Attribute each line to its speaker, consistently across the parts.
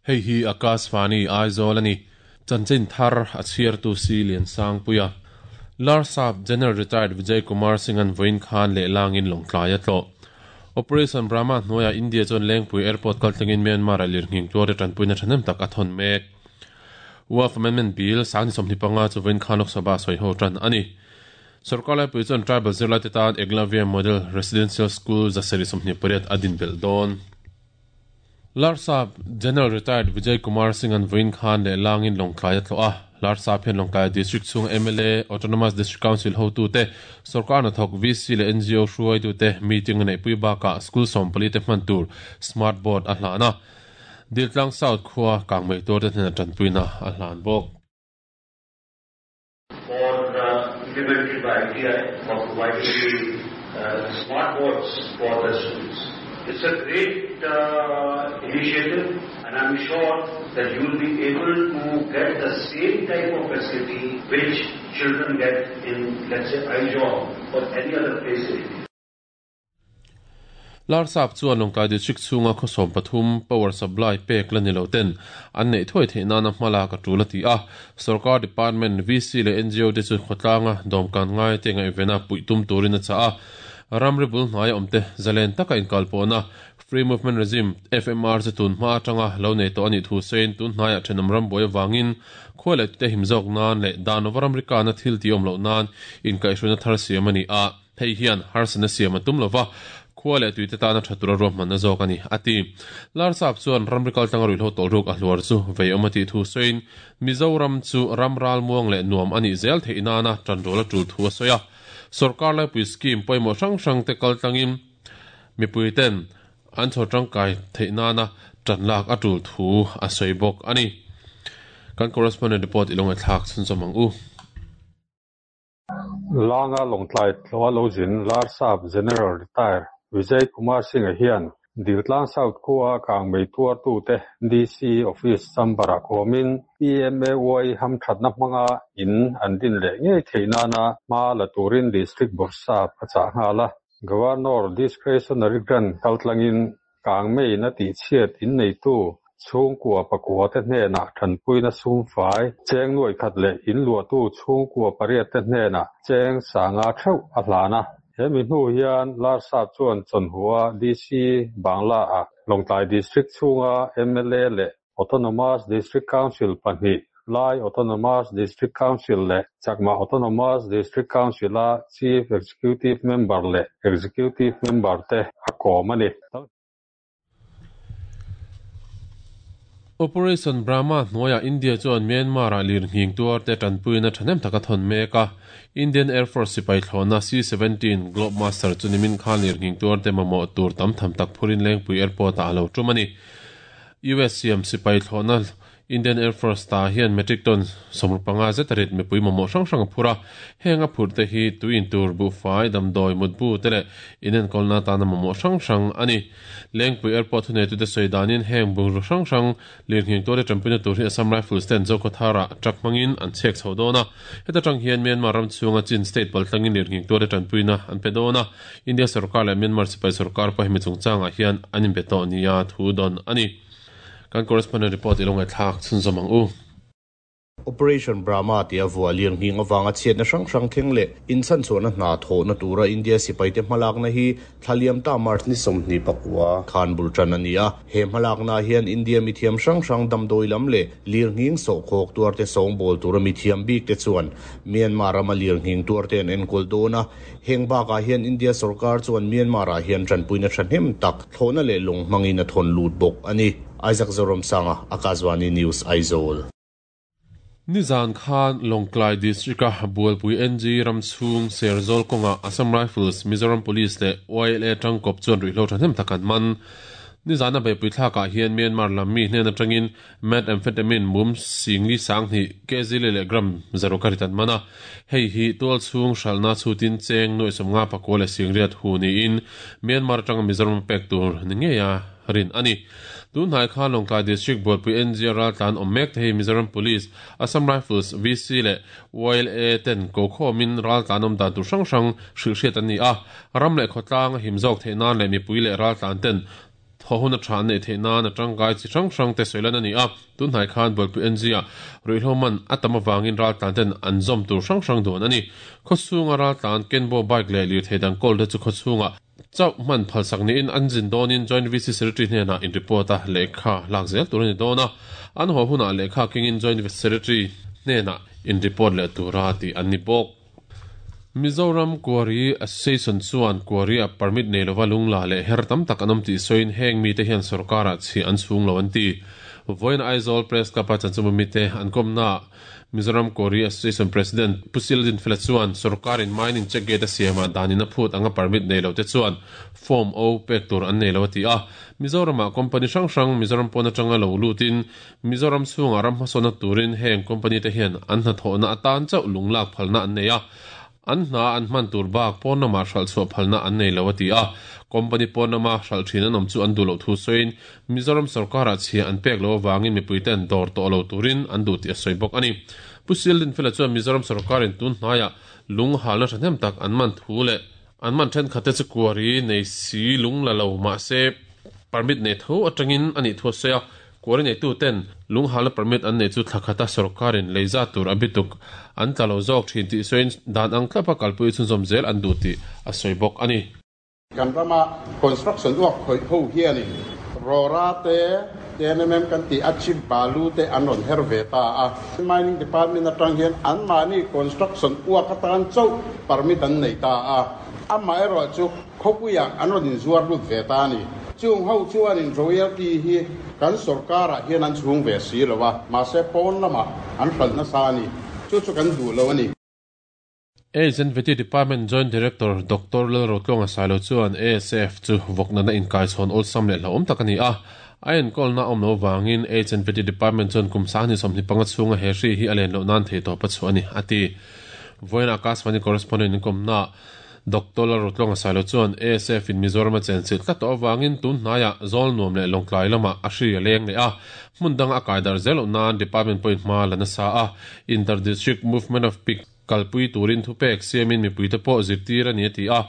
Speaker 1: Hei hi Akashvani Aizawl a ni. Chanchin thar a chhiartu si Liansangpuia. Larsap General Retired Vijay Kumar Singh-a'n vawiin khan lehlangin Lawngtlai a tlawh. Operation Brahma hnuaiah India chuan Lengpui Airport kaltlangin Myanmar-ah lirnghing tuarte tanpuina thahnem tak a thawn mek. Waqf Amendment Bill sang ni 25 chu vawiin khan Lok Sabha sawiho tan a ni. Sorkar laipui chuan tribal zirlaite tan Eklavya Model Residential School 728 a din belh dawn. Larsap General Retired Vijay Kumar Singh-a'n vawiin khan lehlangin Lawngtlai a tlawh a. Larsap hian Lawngtlai District chhunga mla, Autonomous District Council hotute, sorkar hnathawk VC leh ngo hruaitute meeting a neihpui bakah school 14 te hman tur smart board a hlan a. Diltlang South khua kangmei tuarte hnena tanpuina a hlan bawk.
Speaker 2: For implemented by ITI for providing the smart boards for the students. It's a great initiative and I'm sure that you will be able to get the same type of facility which children get in, let's say, Aizawl or any other place in India.
Speaker 1: Larsap chuan Lawngtlai District chhunga khaw 13 power supply pek la ni lo ten an neih thuai theih nana hma lak a tul a ti a. Sorkar department, VC leh ngo te chu khawtlanga dawmkan ngai te ngaihvena puih tum turin a chah a. Ramri bul hnaia awm te zalen taka inkalpawhna Free Movement Regime, FMR, chu tun hma atanga lo nei tawh a nih thu sawiin tun hnaiah thenawm ram buai avangin khua leh tute him zawk nan leh dan lova ramri kana thil tih awm loh nan inkaihhruaina thar siam a ni a. Hei hian harsatna siam a tum lova, khua leh tuite tana tha tura ruahmanna zawk a ni, a ti. Larsap chuan ramri kaltlanga ruihhlo tawlhruk a hluar chu veiawm a tih thu sawiin, Mizoram chu ram ralmuang leh nuam a nih zel theih nana tanrual a tul thu a sawi a. Sorkar laipui scheme pawimawh hrang hrangte kaltlangin mipuiten an chhawr tangkai theih nana tan lak a tul thu a sawi bawk a ni. Kan correspondent report i lo ngaihthlak chhunzawm ang u.
Speaker 3: Langa Lawngtlai tlawha lo zin Larsap General Retire Vijay Kumar Singh-a hian Diltlang South khua kangmei tuartute DC Office chamber-ah kawmin PMAY hamthatna hmanga in an din leh ngei theih nana hma la turin District Bawrhsap a chah nghal a. Governor Discretionary Grant kaltlangin kangmeiin a tihchhiat inneitu chhungkua pakua te hnenah tanpuina sumfai cheng nuai khat leh in luahtu chhungkua pariat te hnenah cheng 500 theuh a hlan a. He mi hnu hian Larsap chuan Chawnhua DC Bangla-ah Lawngtlai District chhunga mla leh Autonomous District Council pahnih, Lai Autonomous District Council leh Chakma Autonomous District Council-a Chief Executive Member leh Executive Member te a kawm a ni.
Speaker 1: Operation Brahma hnuaiah India chuan Myanmar-ah lirnghing tuarte tanpuina thahnem tak a thawn mek a. Indian Air Force sipai thlawhna C-17 Globemaster chu nimin khan lirnghing tuarte mamawh tur tam tham tak phurin Lengpui Airport-ah a lo tum a ni. US siam sipai thlawhna Indian Air Force ta hian metric ton 65 zet a rit mipui mamawh hrang hrang a phur a. Heng a phurh te hi tui in tur, buhfai, damdawi, mutbu te leh inenkawlna atana mamawh hrang hrang a ni. Lengpui Airport thuneitute sawi danin heng bungraw hrang hrang lirnghing tuarte tanpuina tur hi Assam Rifles ten Zokhawthara truck hmangin an chhek chho dawn a. Heta tang hian Myanmar ram chhunga Chin state paltlangin lirnghing tuarte tanpuina an pe dawn a. India sorkar leh Myanmar sipai sorkar pawh hemi chungchangah hian an inbe tawh nia thu dawn a ni. Kan correspondent report i lo ngaihthlak chhunzawm ang u.
Speaker 4: Operation Brahma tia vuah lirnghing avanga chhiatna hrang hrang thleng leh inchhanchhuahna hna thawhna tura India sipaite hmalakna hi thlaliam ta March ni 29 khan bul tan a ni a. He hmalakna hian India mithiam hrang hrang damdawi lam leh lirnghing sawhkhawk tuarte sawngbawl tura mithiam bik te chuan Myanmar rama lirnghing tuarte an enkawl dawn a. Heng bakah hian India sorkar chuan Myanmar-ah hian tanpuina thahnem tak thlawhna leh lawng hmangin a thawn lut bawk a ni. Isaac Zoramsanga, Akashvani News, Aizawl.
Speaker 1: Nizan khan Lawngtlai District-a Bualpui NG ram chhung Serzawl kawnga Assam Rifles, Mizoram Police leh YLA tangkawp chuan ruihhlo thahnem tak an man. Nizana beihpui thlakah hian Myanmar lam mi hnen atangin Methamphetamine mum singli 2000 kg leh gram 6 ka rit an man a. Hei hi tual chhung hralhna chhutin cheng nuai 59 leh 80 hu niin Myanmar atanga Mizoram pek tur ni ngeia rin a ni. Tun hnai khan Lawngtlai District Bualpui NG raltlan awm mek te hi Mizoram Police, Assam Rifles, VC leh YLA ten ko khawmin raltlan awm dan tur hrang hrang hrilh hriat an ni a. Ram leh khawtlang a him zawk theih nan leh mipui leh raltlan ten Haw hun a tha an neih theih nan a tangkai chi hrang hrang te sawi lan a ni a, tun hnai khan Bualpui NG ah ruihhlo man a tam avangin raltlan ten an zawm tur hrang hrang duan a ni. Khawchhunga raltlan Kenbo bike leh lirthei dang kawl te chu khawchhungah chauh hman phalsak niin an zin dawnin Joint VC Secretary hnenah in report a lehkha lak zel tur a ni dawn a, an haw hunah lehkha kengin Joint Secretary hnenah in report leh tura tih an ni bawk. Mizoram Quarry Association chuan Quarry-a permit nei lova lungla leh her tam tak an awm tih sawiin heng mite hian sorkarah chhiah an chhung lo an ti. Vawiin Aizawl Press Club-a chanchinbu mite an kawmnaah Mizoram Quarry Association President Pu Sildin Fela chuan sorkarin mining check gate a siamah danin a phut anga permit nei lote chuan Form O pek tur an nei lo a ti a. Mizoramah company hrang hrang Mizoram pawn atanga lo lutin Mizoram chhungah ram hmasawnna turin heng company te hian an hnathawhna atan chauh lunglak phalna an nei a, an hna an hman tur bak pawn lamah hralh chhuah phalna an nei lo a ti a. Company pawn lama hralh thin an awm chu an duh loh thu sawiin Mizoram sorkarah chhia an pek loh avangin mipuiten dawr tawh lo turin an duh tih a sawi bawk a ni. Pu Sildinfela chuan Mizoram sorkarin tun hnaiah lung halna thahnem tak an man thu leh An man thenkhatte chu kuari nei si lung la lo mahse permit nei tho atangin a nih thu a sawi a, kuari neitu ten lung halna permit an neih chu thla khata sorkarin lei zat tur a bituk an tla lo zawk thin tih sawiin dan ang tlapa kalpui chhunzawm zel an duh tih a sawi bawk a ni.
Speaker 5: Kan rama construction uak khawih ho hianin Rora te, TNMM kan tih a chip balu te an rawn her ve ta a. Mining Department atang hian anmahni construction uak atan chauh permit an nei ta a. Amaherawh chu khawpuiah an rawn inzuar lut ve ta a ni. Chung ho chuanin royalty hi kan sorkarah hian an chhung ve si lo a, mahse pawn lamah an hralh nasa a ni. Chu chu kan duh lo a ni.
Speaker 1: AIDS and Vety Department Joint Director Doctor Lalrotluanga Sailo chuan ASF chu vawknatna inkaichhawn awlsam leh hlauhawm tak a ni a, a enkawlna a awm loh avangin AIDS and Vety Department chuan kum 25 chhunga he hri hi a len loh nan theihtawp a chhuah a ni, a ti. Vawiin Akashvani correspondent inkawmnaah Doctor Lalrotluanga Sailo chuan ASF in Mizoram a chenchilh tlat tawh avangin tun hnaiah Zawl nuam leh Lawngtlai lamah a hri a leng leh a, hmun danga a kai darh zel loh nan Department pawhin hma la nasa a, Inter-District Movement of Pig kalpui turin thupek siamin mipuite pawh zirtir a ni a ti a,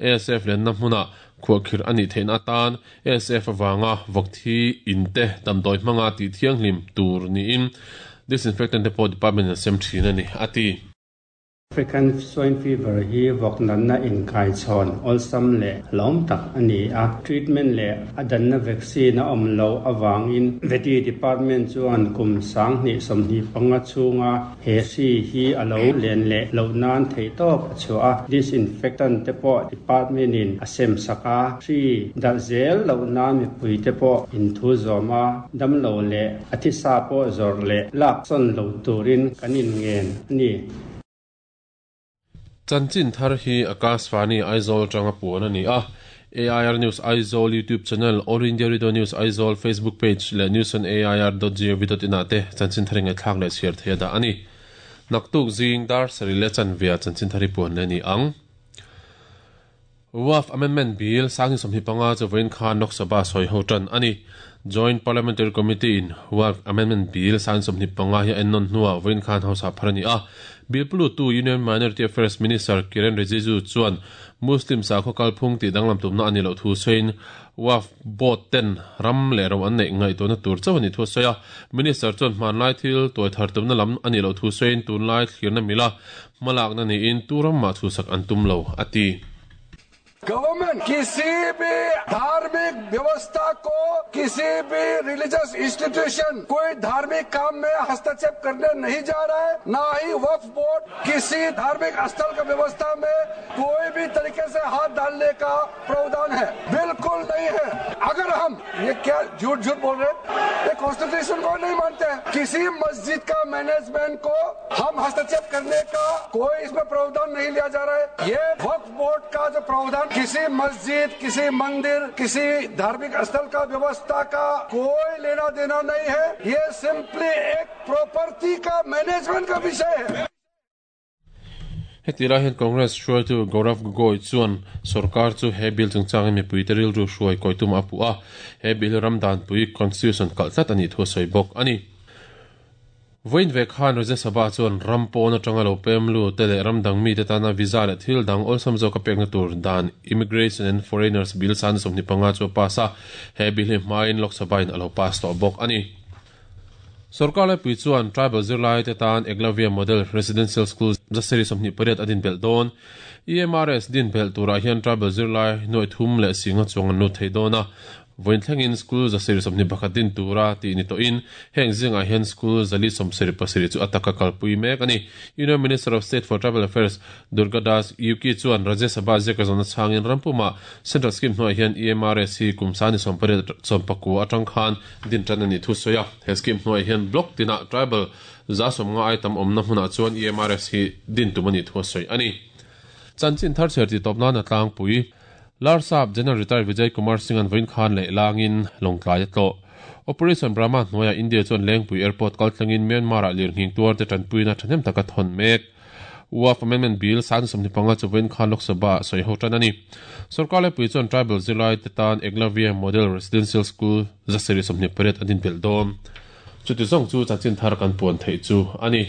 Speaker 1: ASF lenna hmunah khuahkhirh a nih theihna atan ASF avanga vawkthi in te damdawi hmanga tih thianghlim tur niin disinfectant te pawh department in a sem thin a ni a ti.
Speaker 6: African Swine Fever hi vawk natna inkaichhawn awlsam leh hlauhawm tak a ni a, treatment leh a danna vaccine a awm loh avangin Vety Department chuan kum 2025 chhunga he hri hi a lo len leh loh nan theihtawp a chhuah a, disinfectant te pawh department in a sem sak a, hri darh zel loh nan mipui te pawh inthu zawm a, damlo leh A thisa pawh zawrh leh lak sawn lo turin kan inngen a ni.
Speaker 1: Chanchin thar hi Akashvani Aizawl atanga puan a ni a. AIR News Aizawl YouTube channel, All India Radio News Aizawl Facebook page leh newsonair.gov.in ah te chanchin thar ingaihthlak leh chhiar theih a dah a ni. Naktuk zing dar sarih leh chanve ah chanchin thar hi puan leh a ni ang. Waqf Amendment Bill 2025 chu vawiin khan Lok Sabha sawi ho tan a ni. Joint Parliamentary Committee in Waqf Amendment Bill 2025 hi a ennawn hnuah vawiin khan House ah phar a ni a. Bill pulutu Union Minority Affairs Minister Kiren Rijiju chuan Muslim sakhaw kalphung tih danglam tumna a nih loh thu sawiin Waqf Board ten ram leh ro an neih ngaihtuahna tur chauh a nih thu a sawi a. Minister chuan hmanlai thil tuai thar tumna lam a nih loh thu sawiin tunlai thlirna mila hmalakna niin tu ram mah chhuhsak an tum lo, a ti.
Speaker 7: Government kisi bhi dharmik vyavastha ko kisi bhi religious institution koi dharmik kaam mein hastakshep karne nahi ja raha hai, na hi Waqf Board kisi dharmik sthal ka vyavastha mein koi bhi tarike se haath dalne ka pravdhan hai, bilkul nahi hai. Agar hum ye kya jhoot jhoot bol rahe hain, ye constitution ko nahi mante hain, kisi masjid ka management ko hum hastakshep karne ka koi isme pravdhan nahi liya ja raha hai. Ye Waqf Board ka jo pravdhan kisi masjid, kisi mandir, kisi dharmik sthal ka vyavastha ka koi lena dena nahi hai, ye simply ek property ka management ka vishay hai.
Speaker 1: Heti lai hian Congress hruaitu Gaurav Gogoi chuan sorkar chu he bill chungchangin mipuite rilru hruai kawi tum a puh a, he bill hi ram danpui, constitution, kalh tlat a nih thu a sawi bawk a ni. Vawiin ve khan Rajya Sabha chuan ram pawn atanga lo pem lut te leh ram dang mite tana visa leh thil dang awlsam zawka pekna tur dan Immigration and Foreigners Bill 25 chu a pass a, he bill hi hmain Lok Sabha in a lo pass tawh bawk a ni. Sorkar laipui chuan tribal zirlaite tan Eklavya Model Residential School zasarih 28 a din belh dawn. EMRS din belh turah hian tribal zirlai nuaih thum leh singa chuang an lut thei dawn a. Vawiin thlengin school 121 din tura tih ni tawhin heng zingah hian school 477 chu a taka kalpui mek a ni. Union Minister of State for Tribal Affairs Durga Das Uki chuan Rajya Sabha ziaka zawhna chhangin rampumah Central Scheme hnuaiah hian EMRS hi kum sani 18 19 atang khan din tan a nih thu sawi a. He scheme hnuaiah hian block tinah tribal 150 ai tam awmna hmunah chuan EMRS hi din tum a nih thu a sawi a ni. Chanchin thar chhiar tih tawp nan a tlangpui. Larsap General Retired Vijay Kumar Singh-a'n vawiin khan leh langin Lawngtlai a tlawh. Operation Brahma hnuaiah India chuan Lengpui Airport kal thlengin Myanmar-ah lirnghing tuarte tanpuina thahnem taka thawn mek. Waqf Amendment Bill 25 chu vawiin khan Lok Sabha-ah sawi ho tan a ni. Sorkar laipui chuan tribal zirlaite tan Eklavya Model Residential School 128 a din belh dawn. Chuti zawng chu chanchin thar kan puan theih chu a ni.